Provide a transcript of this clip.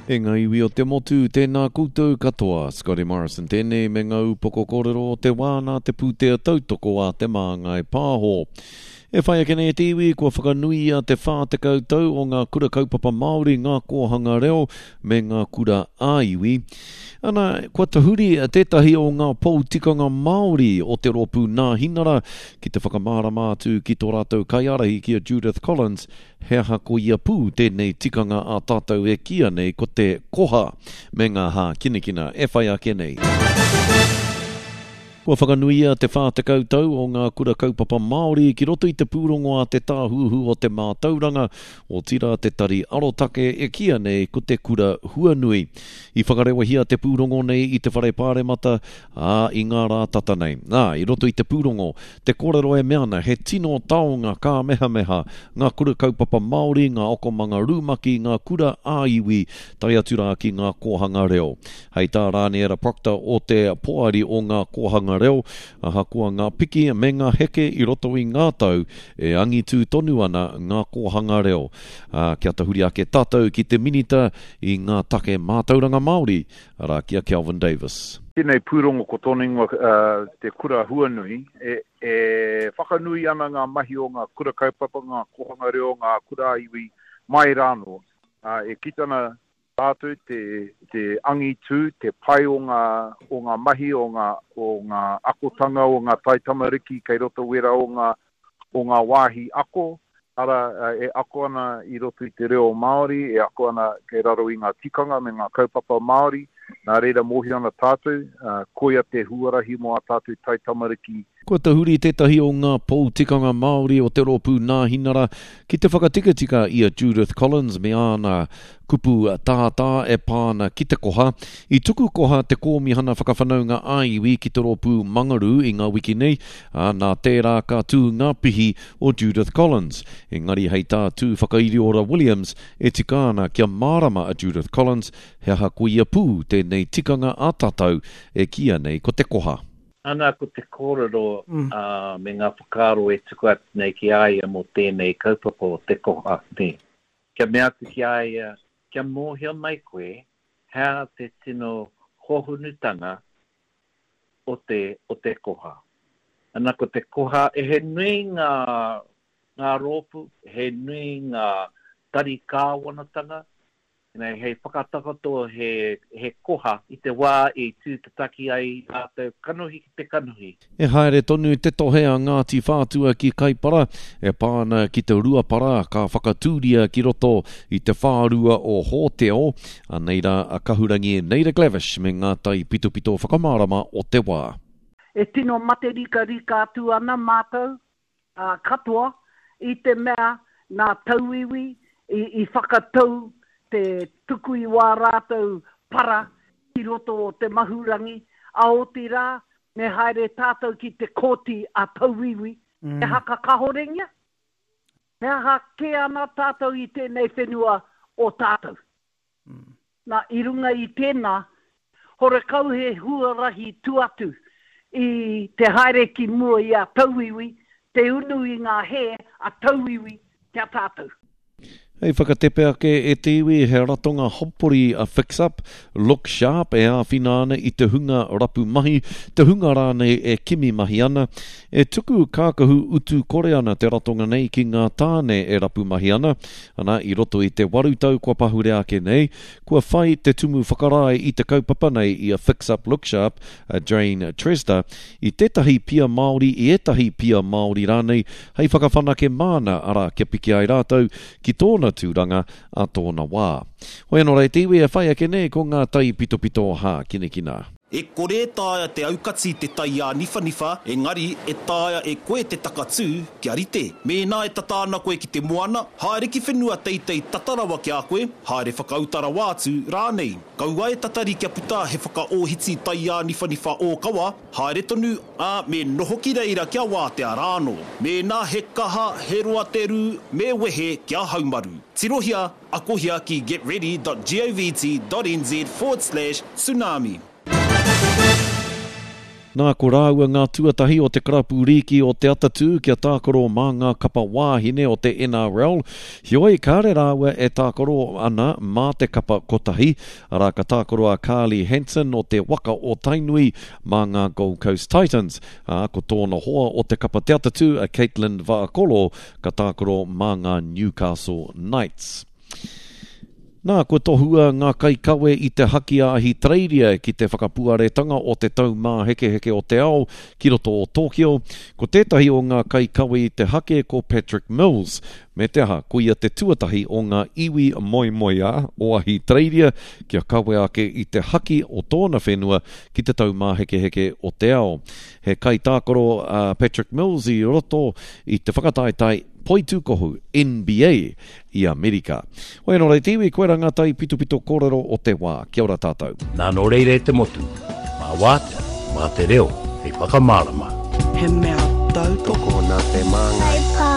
E ngā iwi o te motu, tēnā koutou katoa. Scotty Morrison tēnei me ngā upoko kōrero o te wā nā te pūtea tautoko a Te Māngai Pāho. E whai ake nei te iwi, kua whakanuia te 40 tau o ngā kura kaupapa Māori, ngā kōhanga reo me ngā kura ā-iwi. Ana, kua tahuri tētahi o ngā pou tikanga Māori o te rōpū Nāhinara ki te whakamārama atu ki tō rātou kaiārahi ki a Judith Collins he aha koia pū tēnei tikanga a tātou e kīia nei ko te koha me ngā hākinakina e whai ake nei. Kua whakanuia te 40 tau o ngā kura kaupapa Māori ki roto i te pūrongo a Te Tāhuhu o te Mātauranga, otirā te Tari Arotake e kīia nei ko Te Kura Huanui. I whakarewahia te pūrongo nei i te Whare Pāremata, ā, i ngā rā tata nei. Nā, i roto i te pūrongo, te kōrero e mea ana he tino taonga kāmehameha ngā kura kaupapa Māori, ngā akomanga rumaki, ngā kura ā-iwi, tae atu rā ki ngā kōhanga reo. Hei tā Rāniera Proctor o te Poari o Ngā Kōhanga Reo, ahakoa ngā piki me ngā heke i roto i ngā tau, e angitū tonu ana ngā kōhanga reo. Ā, kia tahuri ake tātou ki te Minita i ngā take mātauranga Māori, arā ki a Kelvin Davis. Tēnei pūrongo ko tōna ingoa Te Kura Huanui, e whakanui ana ngā mahi o ngā kura kaupapa, ngā kōhanga reo, ngā kura ā-iwi mai rānō. E kite ana Tātou te, te angitū, te pai o ngā, o ngā mahi, o ngā, o ngā akotanga o ngā taitamariki kei roto wera o ngā, o ngā wāhi ako, arā, e ako ana i roto i te reo Māori, e ako ana kei raro i ngā tikanga me ngā kaupapa Māori, nā reira mōhio ana tātou, koia te huarahi mō ā tātou taitamariki. Kua tahuri tētahi o ngā pou tikanga Māori o te Rōpū Nāhinara ki te whakatikatika i a Judith Collins me āna kupu tātā e pā ana ki te koha. I tuku koha te Kōmihana Whakawhanaunga ā-Iwi ki te Rōpū Mangarū i ngā wiki nei, ā, nā tērā ka tū ngā pihi o Judith Collins. Engari hei tā Tūwhakairiora Williams, e tika ana kia mārama a Judith Collins he aha koia pū tēnei tikanga a tātou e kīia nei ko te koha. Ana ko te kōrero me ngā whakaaro e tuku atu nei ki a ia mō tēnei kaupapa o te koha, nē. Kia mea atu ki a ia, kia mōhio mai koe he aha te tino hōhonutanga o te, o te koha. Ana ko te koha, he nui ngā, ngā rōpū, he nui ngā tari kāwanatanga Nei, hei whakatakoto he, he koha i te wā i tūtataki ai rātou kanohi ki te kanohi. E haere tonu te tohe a Ngāti Whātua ki Kaipara e pā ana ki te ruapara ka whakatūria ki roto i te whārua o Hōteo, anei rā a Kahurangi Naida Glavish me ngā taipitopito whakamārama o te wā. E tino materikarika atu ana mātou katoa, i te mea nā tauiwi i whakatau te tuku i wā rātou para ki roto o Te Mahurangi, a otirā me haere tātou ki te kōti a tauiwi, he haka kahorengia? He aha kē ana tātou i tēnei whenua o tātou? Nā, i runga i tēnā, horekau he huarahi tu atu i te haere ki mua i a tauiwi, te unu i ngā hē a tauiwi ki a tātou. Hei whakatepe ake e te iwi, he ratonga hapori a Fix Up, Look Sharp e āwhina ana i te hunga rapu mahi, te hunga rānei e kimi mahi ana. E tuku kākahu utu kore ana te ratonga nei ki ngā tāne e rapu mahi ana. Ana, i roto i te 8 tau kua pahure ake nei, kua whai te tumu whakarae i te kaupapa nei i a Fix Up Look Sharp, a Jane Tresda, i tētahi pia Māori, i ētahi pia Māori rānei, hei whakawhanake māna, arā, kia piki ai rātou ki tōna tūranga ā tōna wā. Hoi anō rā e te iwi e whai ake nei ko ngā taipitopito hākinakina. E kore e taea te aukati te tai āniwhaniwha, engari e taea e koe te takatū kia rite. Mēnā e tata ana koe ki te moana, haere ki whenua teitei tata rawa ki a koe, haere whakauta rawa atu rānei. Kaua e tatari kia puta he whakaōhiti tai āniwhaniwha ōkawa, haere tonu, ā, me noho ki reira kia wātea rānō. Mēnā he kaha, he roa te rū, me wehe kia haumaru. Tirohia Akohia ki getready.govt.nz forward slash tsunami. Nā, ko rāua ngā tuatahi o te karapu rīki o Te Atatū kia tākaro mā ngā kapa wāhine o te NRL, heoi kāre rāua e tākaro ana mā te kapa kotahi, arā ka tākaro a Carly Hansen o te waka o Tainui mā ngā Gold Coast Titans, ā, ko tōna hoa o te kapa Te Atatū a Katelyn Vaakolo ka tākaro mā ngā Newcastle Knights. Nā, kua tohua ngā kaikawe i te haki a Ahitereiria ki te whakapuaretanga o te Taumāhekeheke o te Ao ki roto o Tōkio. Ko tētahi o ngā kaikawe i te hake ko Patrick Mills, me te aha, ko ia te tuatahi o ngā iwi moemoeā o Ahitereiria kia kawe ake i te haki o tōna whenua ki te Taumāhekeheke o te Ao. He kaitākaro a Patrick Mills i roto i te whakataetae Poitūkohu, NBA, i Amerika. Hoi anō rei te iwi, koira ngā taipitopito kōrero o te wā. Kia ora tātou. Nā nō reira e te motu, mā wātea, mā te reo hei whakamārama. He mea tautoko. Tokona te māngai.